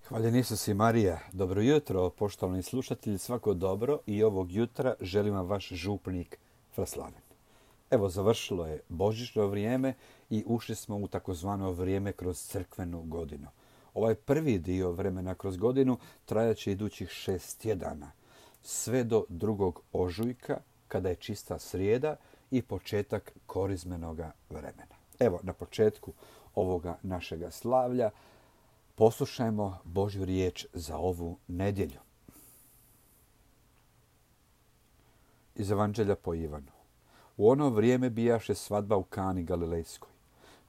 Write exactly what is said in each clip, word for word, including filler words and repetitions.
Hvaljen Isus i Marija. Dobro jutro, poštovani slušatelji, svako dobro i ovog jutra želim vam vaš župnik Fraslaven. Evo, završilo je božićno vrijeme i ušli smo u takozvano vrijeme kroz crkvenu godinu. Ovaj prvi dio vremena kroz godinu trajaće idućih šest tjedana, sve do drugog ožujka, kada je čista srijeda i početak korizmenoga vremena. Evo, na početku ovoga našega slavlja poslušajmo Božju riječ za ovu nedjelju. Iz Evanđelja po Ivanu. U ono vrijeme bijaše svadba u Kani Galilejskoj.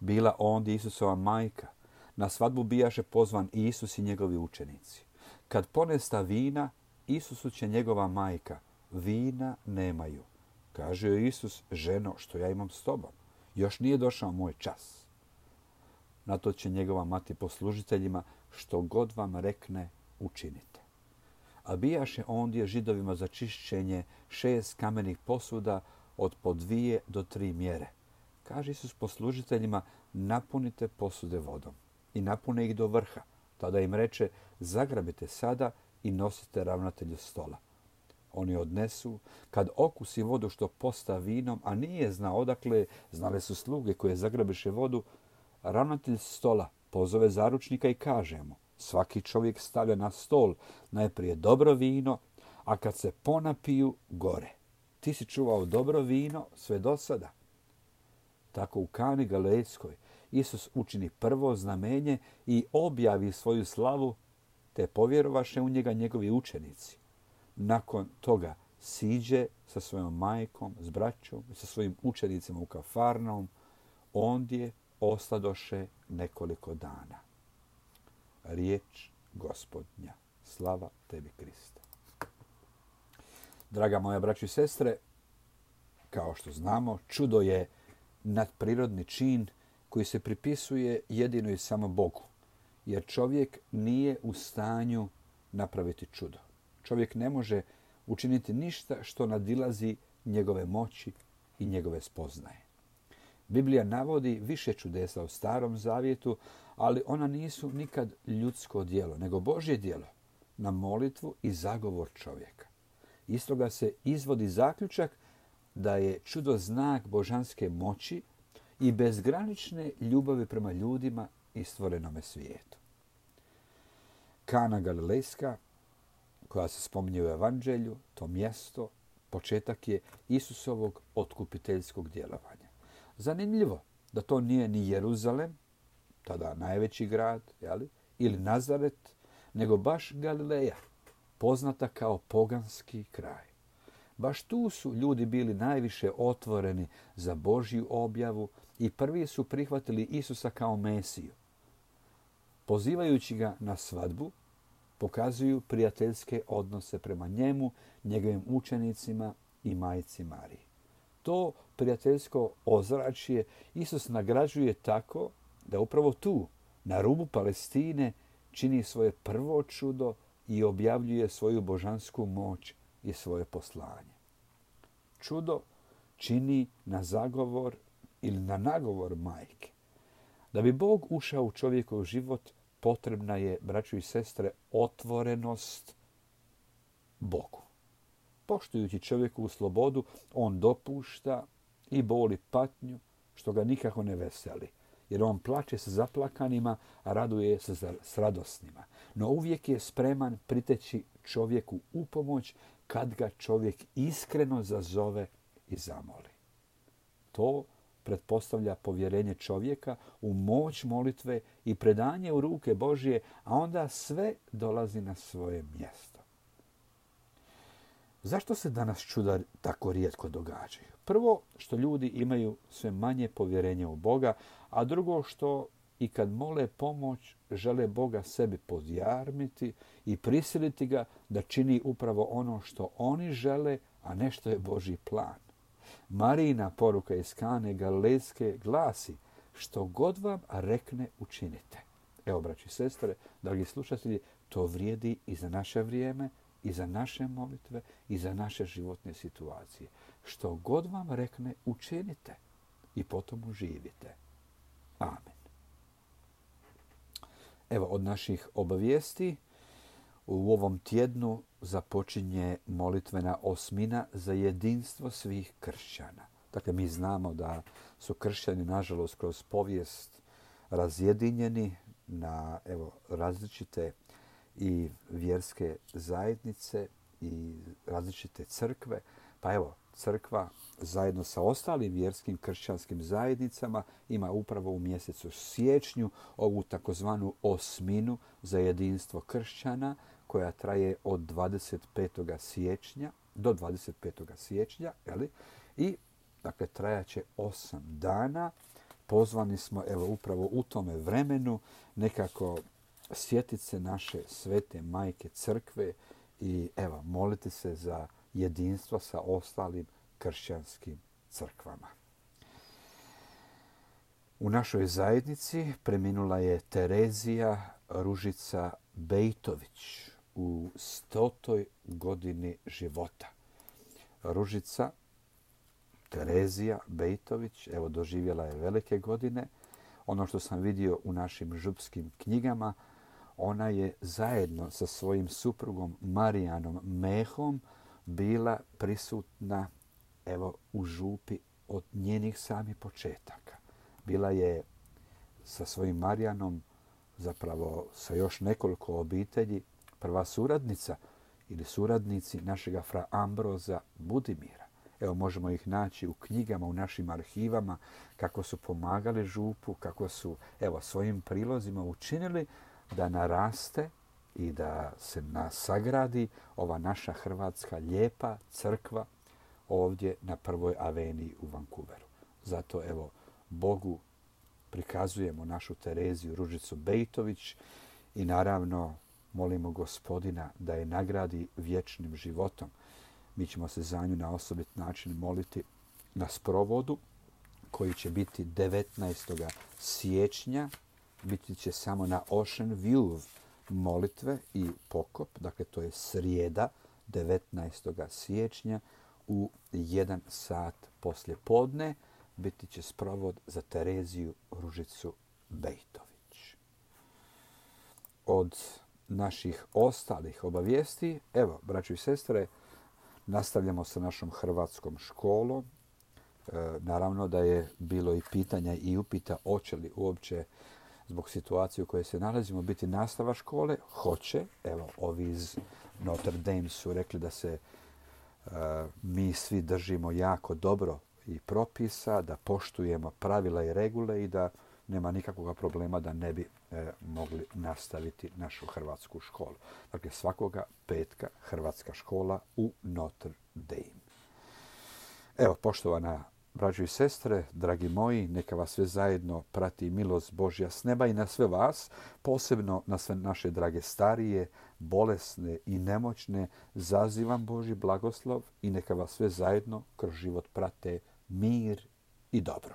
Bila ondje Isusova majka. Na svadbu bijaše pozvan Isus i njegovi učenici. Kad ponesta vina, Isusu će njegova majka: vina nemaju. Kaže joj Isus: ženo, što ja imam s tobom? Još nije došao moj čas. Na to će njegova mati poslužiteljima: što god vam rekne, učinite. A bijaše ondje Židovima za čišćenje šest kamenih posuda od po dvije do tri mjere. Kaže Isus poslužiteljima: napunite posude vodom. I napune ih do vrha. Tada im reče: zagrabite sada i nosite ravnatelju stola. Oni odnesu. Kad okusi vodu što posta vinom, a nije znao odakle, znale su sluge koje zagrabiše vodu, ravnatelj stola pozove zaručnika i kaže mu: svaki čovjek stavlja na stol najprije dobro vino, a kad se ponapiju, gore. Ti si čuvao dobro vino sve do sada. Tako u Kani Galilejskoj Isus učini prvo znamenje i objavi svoju slavu, te povjerovaše u njega njegovi učenici. Nakon toga siđe sa svojom majkom, s braćom i sa svojim učenicima u Kafarnaum. Ondje ostadoše nekoliko dana. Riječ Gospodnja. Slava tebi, Kriste. Draga moja braćo i sestre, kao što znamo, čudo je nadprirodni čin koji se pripisuje jedino i samo Bogu, jer čovjek nije u stanju napraviti čudo. Čovjek ne može učiniti ništa što nadilazi njegove moći i njegove spoznaje. Biblija navodi više čudesa u Starom zavjetu, ali ona nisu nikad ljudsko djelo, nego Božje djelo na molitvu i zagovor čovjeka. Iz toga se izvodi zaključak da je čudo znak božanske moći i bezgranične ljubavi prema ljudima i stvorenome svijetu. Kana Galilejska, koja se spominje u Evanđelju, to mjesto, početak je Isusovog otkupiteljskog djelovanja. Zanimljivo da to nije ni Jeruzalem, tada najveći grad, jeli, ili Nazaret, nego baš Galileja, poznata kao poganski kraj. Baš tu su ljudi bili najviše otvoreni za Božju objavu i prvi su prihvatili Isusa kao Mesiju. Pozivajući ga na svadbu, pokazuju prijateljske odnose prema njemu, njegovim učenicima i majci Mariji. To prijateljsko ozračje Isus nagrađuje tako da upravo tu, na rubu Palestine, čini svoje prvo čudo i objavljuje svoju božansku moć i svoje poslanje. Čudo čini na zagovor ili na nagovor majke. Da bi Bog ušao u čovjekov život, potrebna je, braćo i sestre, otvorenost Bogu. Poštujući čovjekovu slobodu, on dopušta i boli patnju, što ga nikako ne veseli. Jer on plače sa zaplakanima, a raduje se s radosnima. No uvijek je spreman priteći čovjeku u pomoć kad ga čovjek iskreno zazove i zamoli. To pretpostavlja povjerenje čovjeka u moć molitve i predanje u ruke Božje, a onda sve dolazi na svoje mjesto. Zašto se danas čuda tako rijetko događaju? Prvo, što ljudi imaju sve manje povjerenja u Boga, a drugo, što i kad mole pomoć, žele Boga sebi podjarmiti i prisiliti ga da čini upravo ono što oni žele, a ne što je Božji plan. Marijina poruka iz Kane Galilejske glasi: što god vam rekne, učinite. Evo, braći i sestre, dragi slušatelji, to vrijedi i za naše vrijeme, i za naše molitve, i za naše životne situacije. Što god vam rekne, učinite i potom uživite. Amen. Evo, od naših obavijesti u ovom tjednu započinje molitvena osmina za jedinstvo svih kršćana. Dakle, mi znamo da su kršćani, nažalost, kroz povijest razjedinjeni na evo, različite i vjerske zajednice i različite crkve. Pa evo, crkva zajedno sa ostalim vjerskim kršćanskim zajednicama ima upravo u mjesecu siječnju ovu takozvanu osminu za jedinstvo kršćana koja traje od dvadeset petog siječnja do dvadeset petog siječnja. Jeli? I dakle, trajaće osam dana. Pozvani smo evo upravo u tome vremenu nekako sjetiti se naše svete majke crkve i evo moliti se za jedinstvo sa ostalim kršćanskim crkvama. U našoj zajednici preminula je Terezija Ružica Bejtović u stotoj godini života. Ružica Terezija Bejtović, evo, doživjela je velike godine. Ono što sam vidio u našim župskim knjigama, ona je zajedno sa svojim suprugom Marijanom Mehom bila prisutna evo, u župi od njenih samih početaka. Bila je sa svojim Marijanom, zapravo sa još nekoliko obitelji, prva suradnica ili suradnici našega fra Ambroza Budimira. Evo, možemo ih naći u knjigama, u našim arhivama, kako su pomagali župu, kako su evo, svojim prilozima učinili da naraste i da se nasagradi ova naša hrvatska lijepa crkva ovdje na prvoj aveniji u Vancouveru. Zato evo Bogu prikazujemo našu Tereziju Ružicu Bejtović i naravno molimo Gospodina da je nagradi vječnim životom. Mi ćemo se za nju na osobit način moliti na sprovodu koji će biti devetnaestog siječnja. Biti će samo na Ocean View molitve i pokop. Dakle, to je srijeda devetnaestog siječnja u jedan sat poslje podne. Biti će sprovod za Tereziju Ružicu Bejtović. Od naših ostalih obavijesti, evo, braćo i sestre, nastavljamo sa našom hrvatskom školom. E, naravno da je bilo i pitanja i upita hoće li uopće zbog situacije u kojoj se nalazimo biti nastava škole. Hoće. Evo, ovi iz Notre Dame su rekli da se e, mi svi držimo jako dobro i propisa, da poštujemo pravila i regule i da nema nikakvog problema da ne bi e, mogli nastaviti našu hrvatsku školu. Dakle, svakoga petka hrvatska škola u Notre Dame. Evo, poštovana braćo i sestre, dragi moji, neka vas sve zajedno prati milost Božja s neba i na sve vas, posebno na sve naše drage starije, bolesne i nemoćne, zazivam Božji blagoslov i neka vas sve zajedno kroz život prate mir i dobro.